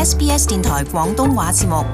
SBS 電台廣東話節目。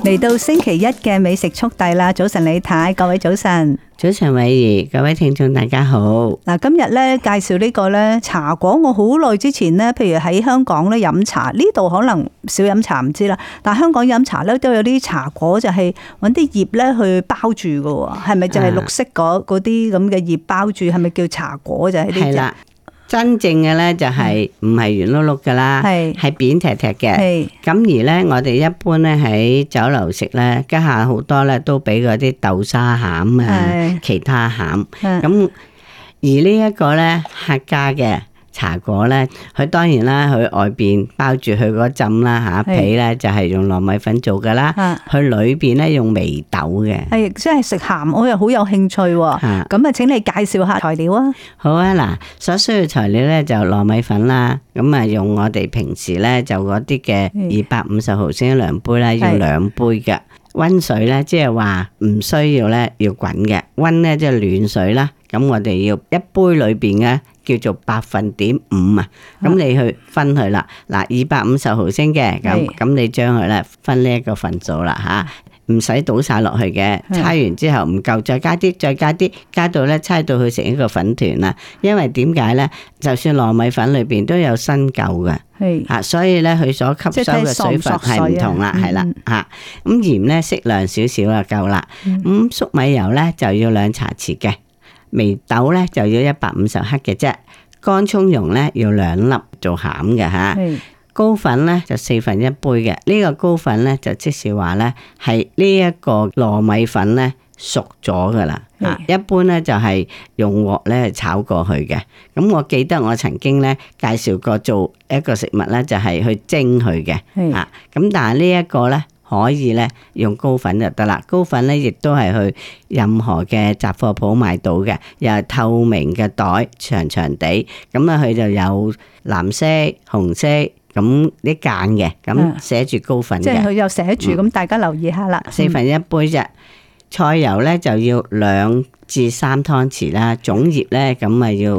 嚟到星期一嘅美食速遞啦！早晨李太，各位早晨。早晨偉儀，各位聽眾大家好。嗱，今日咧介紹呢個咧茶果，我好耐之前咧，譬如喺香港咧飲茶，呢度可能少飲茶唔知啦，但係香港飲茶咧都有啲茶果，就係揾啲葉咧去包住嘅喎，係咪就係綠色嗰啲咁嘅葉包住？係咪叫茶果就係呢隻？係啦。真正嘅咧就係唔係圓碌碌噶啦，係扁踢踢嘅。咁而咧，我哋一般咧喺酒樓食咧，家下好多咧都俾嗰啲豆沙餡啊，其他餡。咁而呢一個咧客家嘅茶果咧，佢當然啦，佢外邊包住佢嗰浸啦嚇皮咧，就係用糯米粉做噶啦。佢裏邊咧用眉豆嘅。係，即係食鹹，我又好有興趣喎。咁啊，請你介紹下材料啊。好啊，嗱，所需要材料咧就糯米粉啦。咁啊，用我哋平時咧就嗰啲嘅250毫升量杯啦，要2杯嘅。溫水咧，即係話唔需要咧要滾嘅，溫咧即係暖水啦。咁我哋要一杯裏邊嘅叫做5%啊，咁你去分佢啦。嗱，250毫升嘅，咁你將佢咧分呢一個份數啦吓，唔使倒晒落去嘅。搓完之後唔夠，再加啲，再加啲，加到咧搓到佢成一個粉團啦。因為點解咧？就算糯米粉裏邊都有新舊嘅，吓，所以咧佢所吸收嘅水分係唔同啦，係啦吓。咁鹽咧適量少少就夠啦。咁粟米油咧就要2茶匙嘅。眉豆咧就要150克嘅啫，乾蔥蓉咧要2粒做餡嘅吓，糕粉咧就1/4杯嘅。呢個糕粉咧就即是話咧係呢一個糯米粉咧熟咗噶啦，一般咧就係用鑊咧炒過去嘅。咁我記得我曾經咧介紹過做一個食物咧就係去蒸佢嘅，咁但係呢一個咧。可以咧用糕粉就得啦，糕粉咧亦都係去任何嘅雜貨鋪買到嘅，又係透明嘅袋，長長地，咁啊佢就有藍色、紅色咁啲間嘅，咁寫住糕粉嘅，即係佢又寫住，咁大家留意下啦。1/4杯啫，菜油咧就要2至3湯匙啦，粽葉咧咁啊要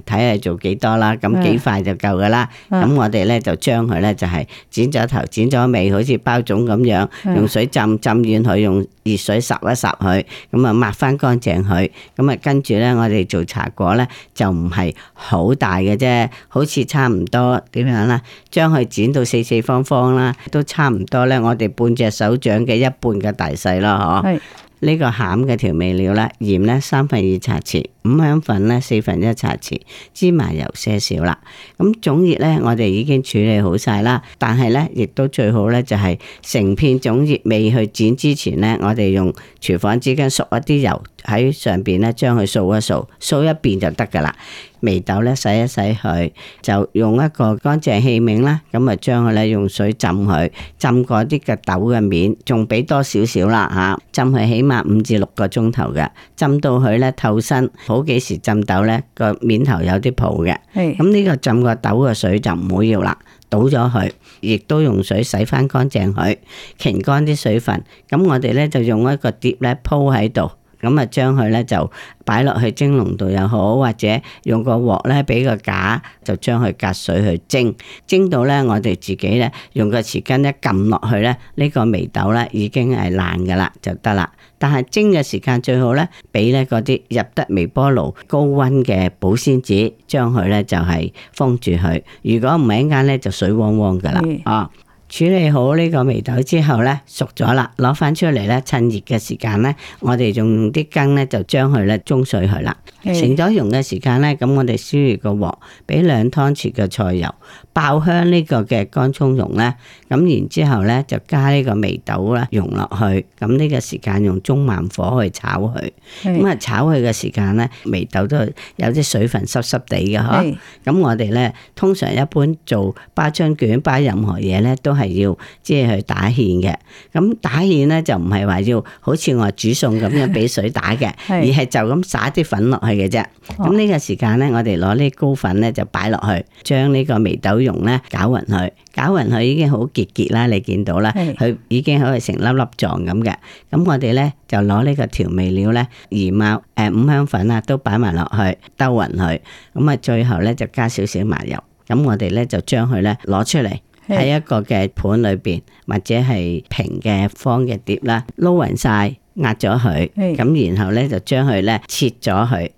睇下做幾多啦，咁幾塊就夠噶啦。咁我哋咧就將佢咧就係剪咗頭剪咗尾，好似包粽咁樣，用水浸軟佢，用熱水霎一霎佢，咁啊抹翻乾淨佢。咁啊跟住咧我哋做茶果咧就唔係好大嘅啫，好似差唔多點樣啦，將佢剪到四方方啦，都差唔多咧，我哋半隻手掌嘅1半嘅大細咯，嗬。呢個餡嘅調味料咧，鹽咧2/3茶匙，五香粉咧1/4茶匙，芝麻油些少啦。咁粽葉咧，我哋已經處理好晒啦，但係咧亦都最好咧就係成片粽葉未去剪之前咧，我哋用廚房紙巾索一啲油喺上邊咧，將佢掃一掃，掃一遍就得噶啦。眉豆咧洗一洗佢，就用一個乾淨器皿啦，咁啊將佢咧用水浸佢，浸過啲嘅豆嘅面，仲俾多少少啦吓，浸佢起碼5至6個鐘頭嘅，浸到佢咧透身。好幾時浸豆咧個面頭有啲泡嘅，咁呢個浸個豆嘅水就唔好要啦，倒咗佢，亦都用水洗翻乾淨佢，擎乾啲水分。咁我哋咧就用一個碟咧鋪喺度。咁啊，將佢咧就擺落去蒸籠度又好，或者用個鑊咧俾個架，就將佢隔水去蒸，蒸到咧我哋自己咧用個匙羹一撳落去咧，呢個眉豆咧已經係爛噶啦，就得啦。但係蒸嘅時間最好咧，俾咧嗰啲入得微波爐高溫嘅保鮮紙，將佢咧就係封住佢。如果唔係一陣間咧就水汪汪噶啦，啊！處理好呢個眉豆之後咧，熟咗啦，攞翻出嚟咧，趁熱嘅時間咧，我哋用啲羹咧就將佢咧舂碎佢啦。成咗溶嘅時間咧，咁我哋燒熱個鑊，俾2湯匙嘅菜油，爆香呢個嘅乾蔥蓉咧，咁然之後咧就加呢個眉豆啦，溶落去，咁呢個時間用中慢火去炒佢，咁啊炒佢嘅時間咧，眉豆都有啲水分濕濕地嘅嗬。咁我哋咧通常一般做包春卷、包任何嘢咧，都係要即係去打芡嘅。咁打芡咧就唔係話要好似我煮餸咁樣俾水打嘅，而係就咁灑啲粉落去嘅啫。咁呢個時間咧，我哋攞呢糕粉咧就擺落去，將呢個眉豆蓉咧攪勻佢，攪勻佢已經好結結啦，你見到啦，佢已經可以成粒粒狀咁嘅。咁我哋咧就攞呢個調味料咧，姨媽五香粉啊都擺埋落去，兜勻佢。咁啊，最後咧就加少少麻油。咁我哋咧就將佢咧攞出嚟喺一個嘅盤裏邊，或者係平嘅方嘅碟啦，撈勻晒，壓咗佢。咁然後咧就將佢咧切咗佢。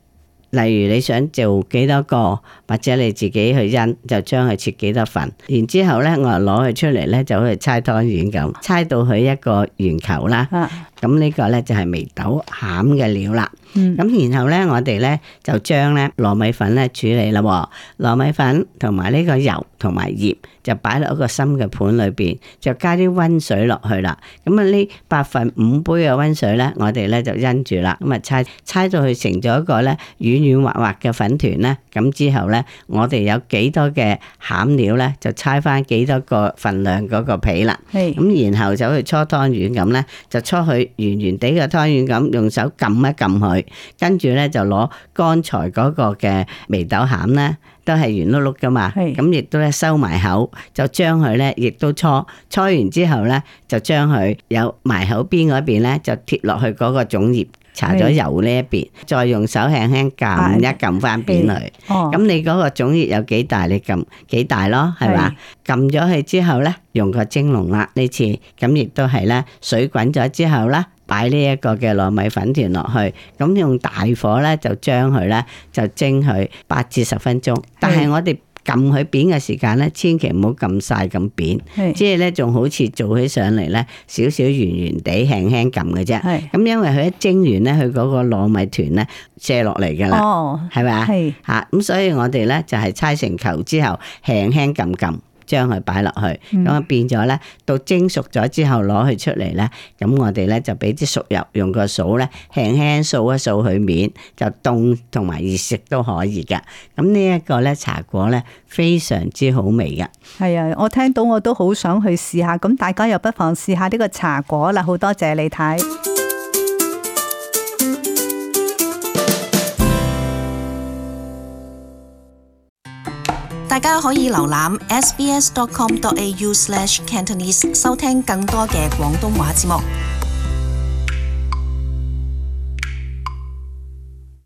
例如你想做幾多個，或者你自己去因，就將佢切幾多份。然之後咧，我就攞佢出嚟咧，就好似猜湯圓咁，猜到佢一個圓球啦。咁呢個咧就係眉豆餡嘅料啦。咁然後咧，我哋咧就將咧糯米粉咧處理啦。糯米粉同埋呢個油同埋鹽就擺落一個深嘅盤裏邊，就加啲溫水落去啦。咁啊呢5/8杯嘅溫水咧，我哋咧就因住啦。咁啊猜到佢成咗一個咧軟軟滑滑嘅粉團咧。咁之後咧，我哋有幾多嘅餡料咧，就猜翻幾多個份量嗰個皮啦。咁然後就去搓湯圓咁咧，就搓佢圓圓地嘅湯圓咁，用手撳一撳佢。跟住咧就攞剛才嗰個嘅眉豆餡咧，都係圓碌碌噶嘛，咁亦都咧收埋口，就將佢咧亦都搓完之後咧，就將佢有埋口邊嗰邊咧，就貼落去嗰個粽葉，搽咗油呢一邊，再用手輕輕撳一撳翻扁佢。咁你嗰個粽葉有幾大，你撳幾大咯，係嘛？撳咗佢之後咧，用個蒸籠啦呢次，咁亦都係咧水滾咗之後啦。擺呢一個嘅糯米粉團落去，咁用大火咧就將佢咧就蒸佢8至10分鐘。但係我哋撳佢扁嘅時間咧，千祈唔好撳晒咁扁，即係咧仲好似做起上嚟咧少少圓圓地輕輕撳嘅啫。咁因為佢一蒸完咧，佢嗰個糯米團咧卸落嚟噶啦，係咪啊？嚇咁，所以我哋咧就係搓成球之後，輕輕撳撳。將佢擺落去，咁啊變咗咧，到蒸熟咗之後攞佢出嚟咧，咁我哋咧就俾啲熟油，用個掃咧輕輕掃一掃佢面，就凍同埋熱食都可以噶。咁呢一個咧茶果咧非常之好味噶。係啊，我聽到我都好想去試下，咁大家又不妨試下呢個茶果啦。好多謝你睇。大家可以瀏覽 sbs.com.au/cantonese 收聽更多嘅廣東話節目。